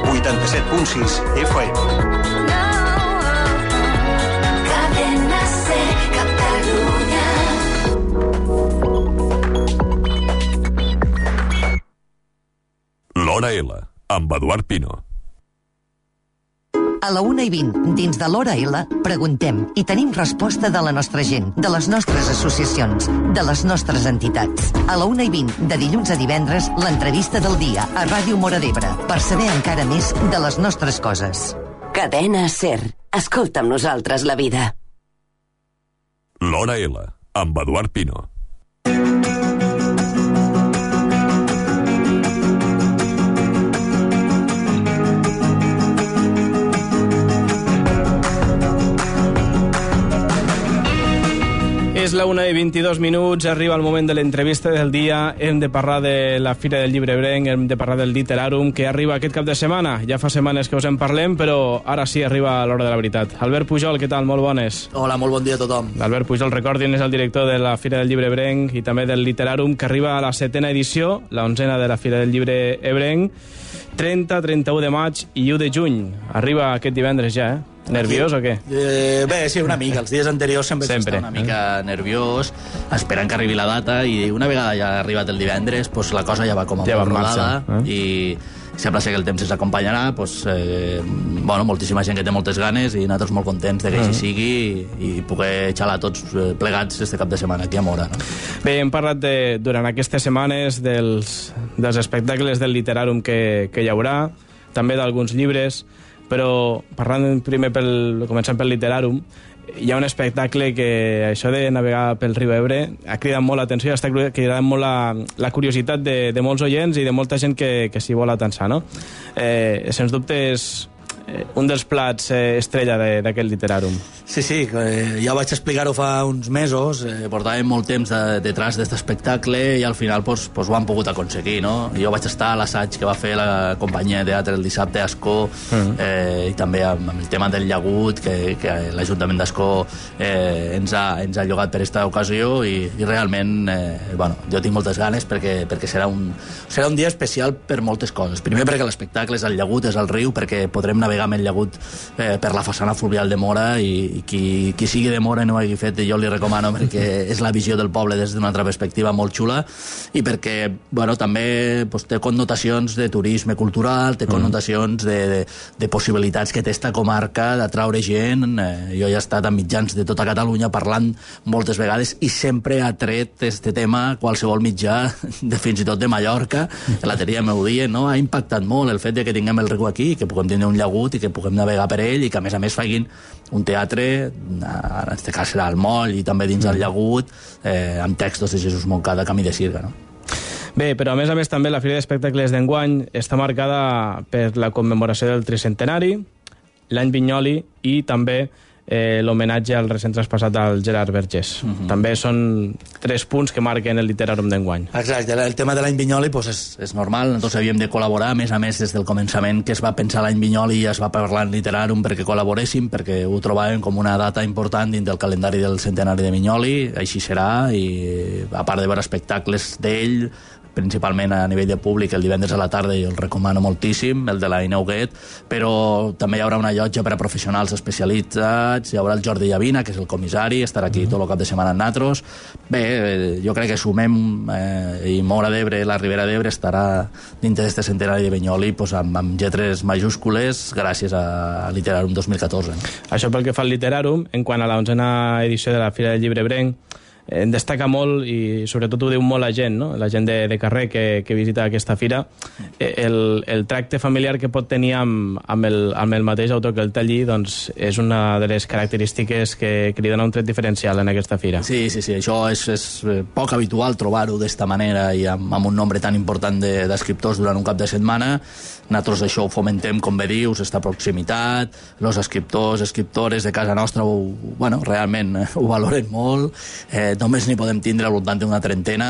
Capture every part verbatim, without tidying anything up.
vuitanta-set punt sis F M. Cadena Ser, Catalunya. L'Hora L, amb Eduard Pino. A la una i vint, dins de l'Hora L, preguntem i tenim resposta de la nostra gent, de les nostres associacions, de les nostres entitats. A la una i vint, de dilluns a divendres, l'entrevista del dia a Ràdio Móra d'Ebre, per saber encara més de les nostres coses. Cadena Ser. Escolta amb nosaltres la vida. L'Hora L, amb Eduard Pino. És la una i vint-i-dos minuts, arriba el moment de l'entrevista del dia. Hem de parlar de la Fira del Llibre Ebrenc, hem de parlar del Literarum, que arriba aquest cap de setmana. Ja fa setmanes que us en parlem, però ara sí arriba l'hora de la veritat. Albert Pujol, què tal? Molt bones. Hola, molt bon dia a tothom. Albert Pujol, recordin, és el director de la Fira del Llibre Ebrenc i també del Literarum, que arriba a la setena edició, la onzena de la Fira del Llibre Ebrenc, trenta, trenta-u de maig i u de juny. Arriba aquest divendres ja, eh? Nerviós o què? Eh, bé, sí, una mica. Els dies anteriors sempre, sempre. s'està una mica eh? nerviós, esperant que arribi la data, i una vegada ja ha arribat el divendres, pues la cosa ja va com a ja molt rodada, eh? i sembla ser que el temps ens acompanyarà. Pues, eh, bueno, moltíssima gent que té moltes ganes i nosaltres molt contents de que així sigui i, i poder xalar tots plegats este cap de setmana aquí a Móra. No? Bé, hem parlat de, durant aquestes setmanes dels, dels espectacles del Literarum que, que hi haurà, també d'alguns llibres, però parlant primer pel, començant pel Literarum, hi ha un espectacle que això de navegar pel riu Ebre ha cridat molt l'atenció i està cridant molt la, la curiositat de, de molts oients i de molta gent que, que s'hi vol atensar, no? Eh, sens dubte és eh, un dels plats eh, estrella d'aquest Literarum. Sí, sí, eh, ja vaig explicar-ho fa uns mesos, eh, portàvem molt temps de, detrás d'aquest espectacle i al final pues, pues, ho han pogut aconseguir, no? Jo vaig estar a l'assaig que va fer la companyia de teatre el dissabte a Ascó, uh-huh. eh, i també amb, amb el tema del llagut que, que l'Ajuntament d'Ascó eh, ens, ha, ens ha llogat per aquesta ocasió i, i realment eh, bueno, jo tinc moltes ganes perquè, perquè serà, un, serà un dia especial per moltes coses. Primer perquè l'espectacle és el llagut, és el riu, perquè podrem navegar amb el llagut eh, per la façana fluvial de Móra i Qui, qui sigui de Móra i no ho hagi fet, jo li recomano perquè és la visió del poble des d'una altra perspectiva molt xula i perquè bueno, també pues, té connotacions de turisme cultural, té connotacions de, de, de possibilitats que té esta comarca d'atraure gent. Eh, jo ja he estat a mitjans de tota Catalunya parlant moltes vegades i sempre ha tret este tema qualsevol mitjà, de, fins i tot de Mallorca, la teoria m'ho dient, no? Ha impactat molt el fet de que tinguem el riu aquí, que puguem tenir un llagut i que puguem navegar per ell i que a més a més facin un teatre, en aquest cas serà al moll i també dins del llagut, eh, amb textos de Jesús Moncada, Camí de Sirga, no? Bé, però a més a més també la Fira d'Espectacles d'enguany està marcada per la commemoració del tricentenari, l'any Vinyoli i també eh, l'homenatge al recent traspassat al Gerard Vergés. Uh-huh. També són tres punts que marquen el Literarum d'enguany. Exacte, el tema de l'any Vinyoli pues, és, és normal, nosaltres havíem de col·laborar, a més a més des del començament que es va pensar l'any Vinyoli i es va parlar en Literarum perquè col·laboréssim, perquè ho trobàvem com una data important dins del calendari del centenari de Vinyoli, així serà, i a part de veure espectacles d'ell, principalment a nivell de públic el divendres a la tarda, jo el recomano moltíssim, el de la Inauguet, però també hi haurà una llotja per a professionals especialitzats, hi haurà el Jordi Llavina, que és el comissari, estarà aquí tot el cap de setmana amb nosaltres. Bé, jo crec que sumem eh, i Móra d'Ebre, la Ribera d'Ebre estarà dintre d'este centenari de Vinyoli pues, amb, amb lletres majúscules gràcies a Literarum dos mil catorze. No? Això pel que fa al Literarum, en quant a l'onzena edició de la Fira del Llibre Ebrenc, en destaca molt, i sobretot ho diu molt la gent, no? La gent de, de carrer que, que visita aquesta fira, el, el tracte familiar que pot tenir amb, amb, el, amb el mateix autor que el té allí, doncs és una de les característiques que, que li dona un tret diferencial en aquesta fira. Sí, sí, sí, això és, és poc habitual trobar-ho d'esta manera i amb, amb un nombre tan important d'escriptors de, durant un cap de setmana. Nosaltres això ho fomentem, com bé dius, esta proximitat, els escriptors, escriptores de casa nostra ho, bueno, realment ho valoren molt, eh, només n'hi podem tindre al voltant d'una trentena,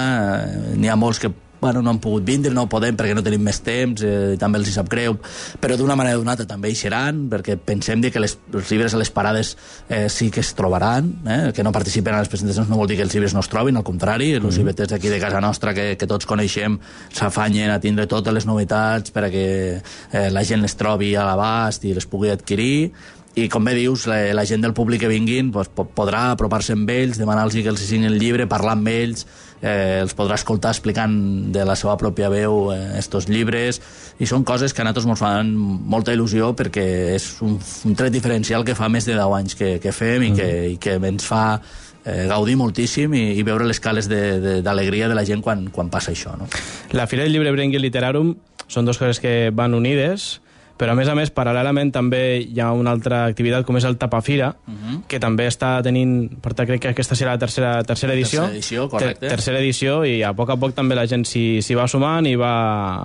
eh, n'hi ha molts que bueno, no han pogut vindre, no podem perquè no tenim més temps, eh, també els hi sap greu, però d'una manera o d'una altra també hi seran, perquè pensem que les, els llibres a les parades eh, sí que es trobaran, eh? Que no participen a les presentacions no vol dir que els llibres no es trobin, al contrari, els mm. llibreters d'aquí de casa nostra que, que tots coneixem s'afanyen a tindre totes les novetats perquè eh, la gent les trobi a l'abast i les pugui adquirir, i com bé dius, la, la gent del públic que vinguin pues, podrà apropar-se amb ells, demanar-los que els signin el llibre, parlar amb ells, eh, els podrà escoltar explicant de la seva pròpia veu eh, estos llibres, i són coses que a nosaltres ens fan molta il·lusió perquè és un, un tret diferencial que fa més de deu anys que, que fem i que, i que ens fa eh, gaudir moltíssim i, i veure les cales d'alegria de, de, de la gent quan, quan passa això, no? La Fira del Llibre Berenguer Literarum són dues coses que van unides, però a més a més, paral·lelament també hi ha una altra activitat com és el Tapafira, uh-huh. que també està tenint, per tant crec que aquesta serà la tercera, tercera edició, tercera edició, correcte. Ter tercera edició, i a poc a poc també la gent s'hi va sumant i va,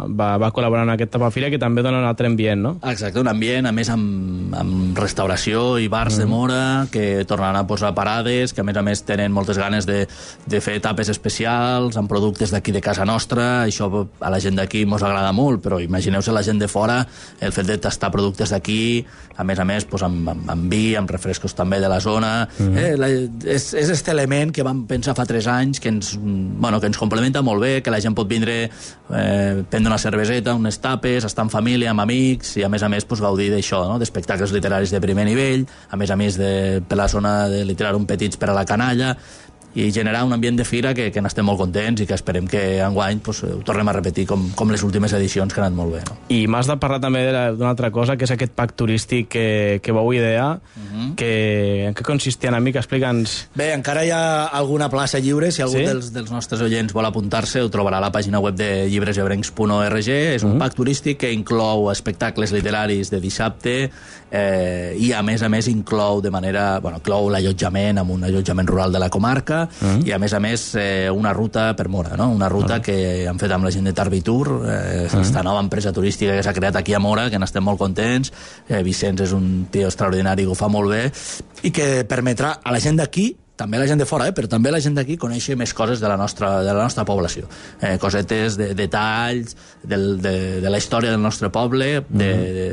va, va col·laborar en aquest Tapafira, que també dona un altre ambient, no? Exacte, un ambient, a més amb, amb restauració i bars uh-huh. de Mora, que tornaran a posar parades, que a més a més tenen moltes ganes de, de fer etapes especials, amb productes d'aquí de casa nostra, això a la gent d'aquí mos agrada molt, però imagineu-se la gent de fora, el fet de tastar productes d'aquí, a més a més pues, amb, amb, amb vi, amb refrescos també de la zona. Mm. Eh, la, és, és aquest element que vam pensar fa tres anys que ens, bueno, que ens complementa molt bé, que la gent pot vindre eh, prendre una cerveseta, unes tapes, estar en família, amb amics, i a més a més pues, gaudir d'això, no? D'espectacles literaris de primer nivell, a més a més de, per la zona de literàrum petits per a la canalla, i generar un ambient de fira que, que n'estem molt contents i que esperem que enguany pues, ho tornem a repetir com, com les últimes edicions que han anat molt bé. No? I m'has de parlar també d'una altra cosa, que és aquest pack turístic que, que vau idear, uh-huh. que, en què consistia una mica? Explica'ns. Bé, encara hi ha alguna plaça lliure, si algú sí? dels, dels nostres oients vol apuntar-se, ho trobarà a la pàgina web de llibresebrencs punt org. És un uh-huh. pack turístic que inclou espectacles literaris de dissabte eh, i a més a més inclou de manera, bueno, inclou l'allotjament amb un allotjament rural de la comarca, Uh-huh. i a més a més eh, una ruta per Mora, no? Una ruta uh-huh. que han fet amb la gent de Tarbitur, eh, uh-huh. esta nova empresa turística que s'ha creat aquí a Mora, que n'estem molt contents. eh, Vicenç és un tio extraordinari que ho fa molt bé i que permetrà a la gent d'aquí, també la gent de fora, eh, però també la gent d'aquí conèixer més coses de la nostra, de la nostra població. Eh, cosetes, de, detalls del, de, de la història del nostre poble, de, de,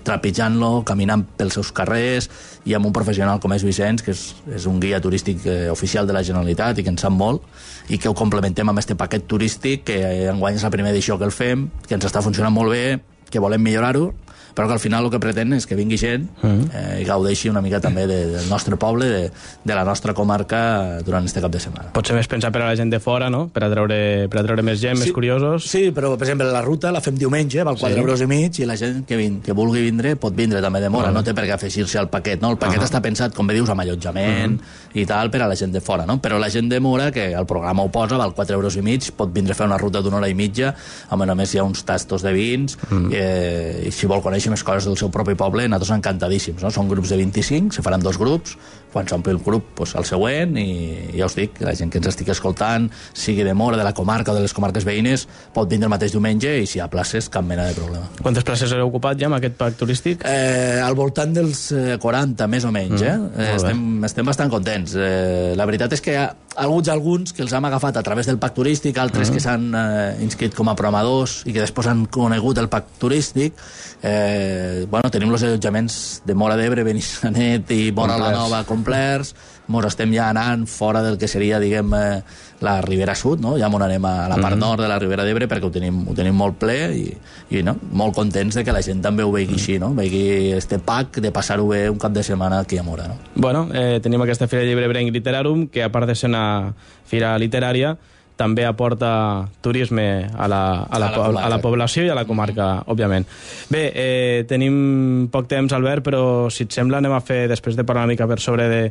trepitjant-lo, caminant pels seus carrers, i amb un professional com és Vicenç, que és, és un guia turístic eh, oficial de la Generalitat i que en sap molt, i que ho complementem amb este paquet turístic, que eh, enguany és la primera edició que el fem, que ens està funcionant molt bé, que volem millorar-ho, però que al final el que pretén és que vingui gent eh, i gaudeixi una mica també de, del nostre poble, de, de la nostra comarca durant este cap de setmana. Pot ser més pensar per a la gent de fora, no? Per a treure, per a treure més gent, sí, més curiosos. Sí, però per exemple la ruta la fem diumenge, val quatre sí. euros i mig, i la gent que, vin, que vulgui vindre pot vindre també de Mora, uh-huh. no té per què afegir-se al paquet, no? El paquet uh-huh. està pensat, com bé dius, amb allotjament uh-huh. i tal, per a la gent de fora, no? Però la gent de Mora, que el programa ho posa, val quatre euros i mig, pot vindre a fer una ruta d'una hora i mitja, a més a més hi ha uns tastos de vins, uh-huh. eh, i si vol conèixer més coses del seu propi poble, nosaltres encantadíssims, no? Són grups de vint-i-cinc, se faran dos grups, quan s'ompli el grup, pues, el següent, i ja us dic, la gent que ens estigui escoltant, sigui de Mora, de la comarca o de les comarques veïnes, pot vindre el mateix diumenge, i si hi ha places, cap mena de problema. Quantes places heu ocupat ja amb aquest pack turístic? Eh, al voltant dels eh, quaranta, més o menys, eh? Mm, eh estem, estem bastant contents. Eh, la veritat és que hi ha alguns, alguns que els hem agafat a través del pack turístic, altres mm. que s'han eh, inscrit com a programadors i que després han conegut el pack turístic. Eh, bueno, tenim els allotjaments de Mora d'Ebre, Benissanet i Mora la Nova complerts. Mos estem ja anant fora del que seria, diguem, eh, la Ribera Sud, no? Ja m'on anem a la part mm. nord de la Ribera d'Ebre perquè ho tenim, ho tenim molt ple i, i no? molt contents de que la gent també ho vegi mm. així, no? Vegi este pack de passar-ho bé un cap de setmana aquí a Mora, no? Bueno, eh, tenim aquesta Fira de Llibre Berenguer Literarum, que a part de ser una fira literària, també aporta turisme a la, a la, a la, a la població i a la comarca, mm. òbviament. Bé, eh, tenim poc temps, Albert, però si et sembla anem a fer, després de parlar una mica per sobre de,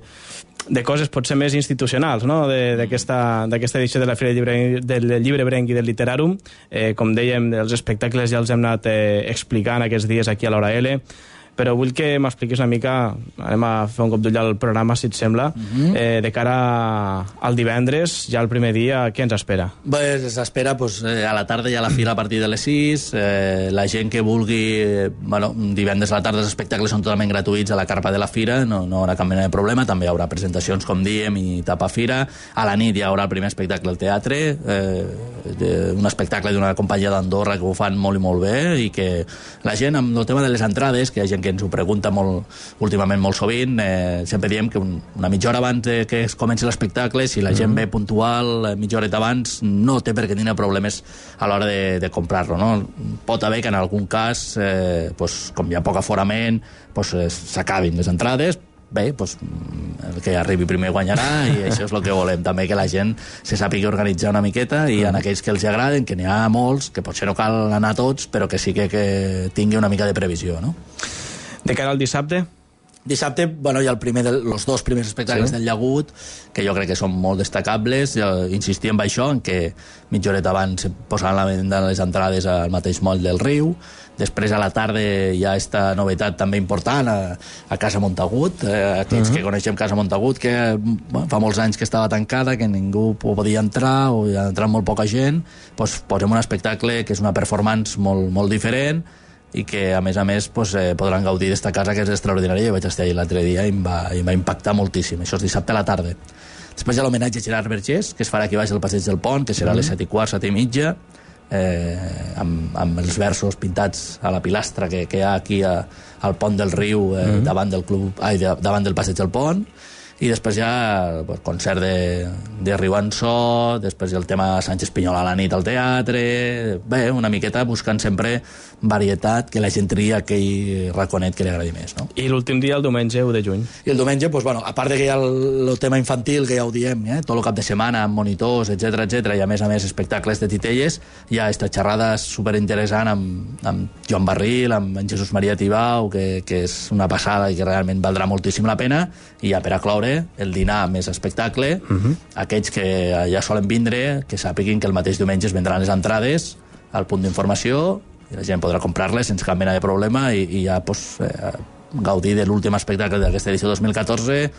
de coses potser més institucionals, no? d'aquesta edició de la Fira del Llibre, del Llibre Berenguer del Literarum. Eh, com dèiem, els espectacles ja els hem anat eh, explicant aquests dies aquí a l'Hora L. però vull que m'expliquis una mica, anem a fer un cop d'ull al programa, si et sembla, uh-huh. eh, de cara al divendres, ja el primer dia, què ens espera? Pues s'espera, pues, eh, a la tarda hi ha la fira a partir de les sis, eh, la gent que vulgui, eh, bueno, divendres a la tarda els espectacles són totalment gratuïts a la carpa de la fira, no, no hi haurà cap mena de problema, també hi haurà presentacions, com diem, i tapa fira. A la nit hi haurà el primer espectacle al teatre, eh, de, un espectacle d'una companyia d'Andorra que ho fan molt i molt bé, i que la gent, amb el tema de les entrades, que hi ha gent que ens ho pregunta molt, últimament molt sovint, eh, sempre diem que un, una mitja hora abans de que es comenci l'espectacle, si la gent mm-hmm. ve puntual mitja horeta abans, no té per què tenir problemes a l'hora de, de comprar-lo, no? Pot haver que en algun cas, eh, pues, com hi ha poc aforament, pues, eh, s'acabin les entrades. Bé, doncs, el que arribi primer guanyarà, i això és el que volem també, que la gent se sàpiga organitzar una miqueta, i en aquells que els agraden, que n'hi ha molts, que potser no cal anar tots, però que sí que, que tingui una mica de previsió, no? De cara al dissabte? Dissabte, bueno, hi ha el primer de, els dos primers espectacles sí. del Llagut, que jo crec que són molt destacables. Jo insistia en això, en que mitja horeta abans se posaven la venda les entrades al mateix moll del riu. Després a la tarda hi ha esta novetat també important a, a Casa Montagut, eh, aquells uh -huh. que coneixem Casa Montagut, que bueno, fa molts anys que estava tancada, que ningú podia entrar, o hi ha entrat molt poca gent, doncs posem un espectacle que és una performance molt, molt diferent, i que a més a més pues, eh, podran gaudir d'esta casa, que és extraordinària. Jo vaig estar allà l'altre dia i em, va, i em va impactar moltíssim. Això és dissabte a la tarda. Després hi ha l'homenatge a Gerard Vergés, que es farà aquí baix al Passeig del Pont, que serà a les set i quart, set i mitja, eh, amb, amb els versos pintats a la pilastra que, que hi ha aquí a, al pont del riu, eh, mm-hmm. davant del club, ai, de, davant del Passeig del Pont. I després hi ha pues, concert de, de Riu Ansó, després hi ha el tema Sánchez Pinyol a la nit al teatre. Bé, una miqueta buscant sempre varietat, que la gent tria aquell raconet que li agradi més, no? I l'últim dia, el diumenge u de juny. I el diumenge, pues, bueno, a part de que hi ha el, el tema infantil, que ja ho diem, eh? Tot el cap de setmana, amb monitors, etcètera, etcètera, i a més a més espectacles de titelles, hi ha esta xerrada superinteressant amb, amb Joan Barril, amb en Jesús Maria Tibau, que, que és una passada i que realment valdrà moltíssim la pena. I ja per a cloure, el dinar més espectacle, uh-huh. aquells que ja solen vindre, que sàpiguin que el mateix diumenge es vendran les entrades al punt d'informació, i la gent podrà comprar-les sense cap mena de problema, i, i ja pues, eh, gaudir de l'últim espectacle d'aquesta edició dos mil catorze,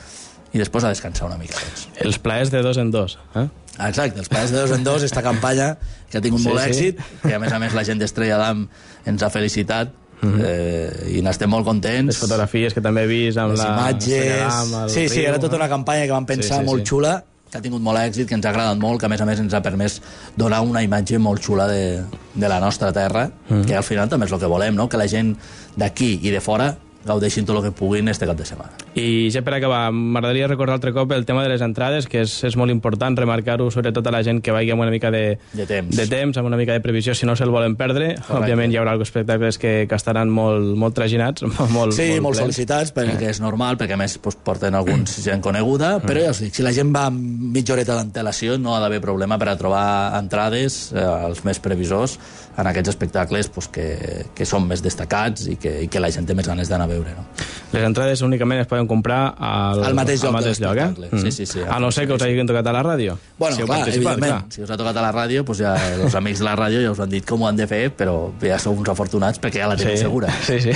i després a descansar una mica. Doncs. Els plaers de dos en dos, eh? Exacte, els plaers de dos en dos, esta campanya que ha tingut sí, molt sí. èxit, que a més a més la gent d'Estrella d'Am ens ha felicitat, Uh-huh. eh, i n'estem molt contents. Les fotografies que també he vist amb les la imatges, sí, sí, era tota una campanya que vam pensar sí, sí, molt sí. xula, que ha tingut molt èxit, que ens ha agradat molt, que a més a més ens ha permès donar una imatge molt xula de, de la nostra terra, uh-huh. que al final també és el que volem, no? Que la gent d'aquí i de fora gaudeixin tot el que puguin este cap de setmana. I ja per acabar, m'agradaria recordar altre cop el tema de les entrades, que és, és molt important remarcar-ho, sobretot a la gent que vagi amb una mica de, de, temps. de temps, amb una mica de previsió, si no se'l volen perdre. Correcte. Òbviament hi haurà alguns espectacles que, que estaran molt, molt traginats, molt, sí, molt, molt sol·licitats, perquè és normal, perquè a més pues, porten alguns gent coneguda, però ja us dic, si la gent va amb mitja horeta d'antelació no ha d'haver problema per a trobar entrades eh, als més previsors en aquests espectacles pues, que, que són més destacats i que, i que la gent té més ganes d'anar a veure. No? Les entrades únicament es poden comprar al, al mateix lloc, al mateix lloc eh? Mm. Sí, sí, sí. A no ser que us hagin tocat a la ràdio. Bueno, si clar, evidentment, clar. Si us ha tocat a la ràdio, pues ja els amics de la ràdio ja us han dit com ho han de fer, però ja sou uns afortunats perquè ja la teniu sí, segura. Sí, sí.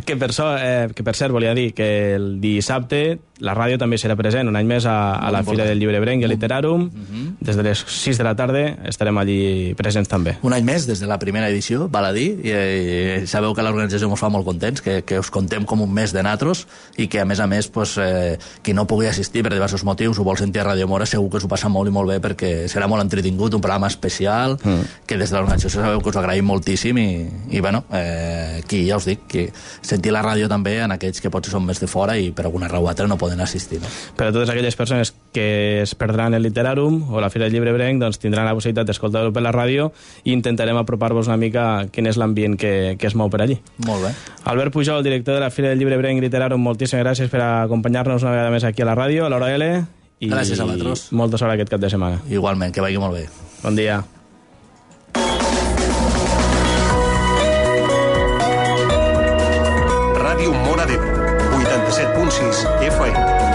Que per, so, eh, que per cert, volia dir que el dissabte la ràdio també serà present un any més a, a la Fira del Llibre Ebrenc i a Literàrum. Mm-hmm. Des de les sis de la tarda estarem allí presents també. Un any més, des de la primera edició, val a dir, i, i sabeu que l'organització ens fa molt contents, que, que us contem com un mes de natros, i que a més a més pues, eh, qui no pugui assistir per diversos motius ho vol sentir a Ràdio Mora, segur que us ho passa molt i molt bé, perquè serà molt entretingut, un programa especial, mm. que des de l'organització sabeu que us agraïm moltíssim, i, i bueno, eh, qui ja us dic, que sentir la ràdio també en aquells que potser són més de fora i per alguna raó o altra no poden assistir. No? Per a totes aquelles persones que es perdran el Literàrum o la Fira del Llibre Ebrenc, doncs tindran la possibilitat d'escoltar-ho per la ràdio i intentarem apropar-vos una mica quin és l'ambient que, que es mou per allí. Molt bé. Albert Pujol, director de la Fira del Llibre Ebrenc i Literàrum, moltíssimes gràcies per acompanyar-nos una vegada més aquí a la ràdio, a l'Hora L. I gràcies a vosaltres. Molta sort aquest cap de setmana. Igualment, que vagi molt bé. Bon dia. Ràdio Móra d'Ebre, vuitanta-set punt sis F M.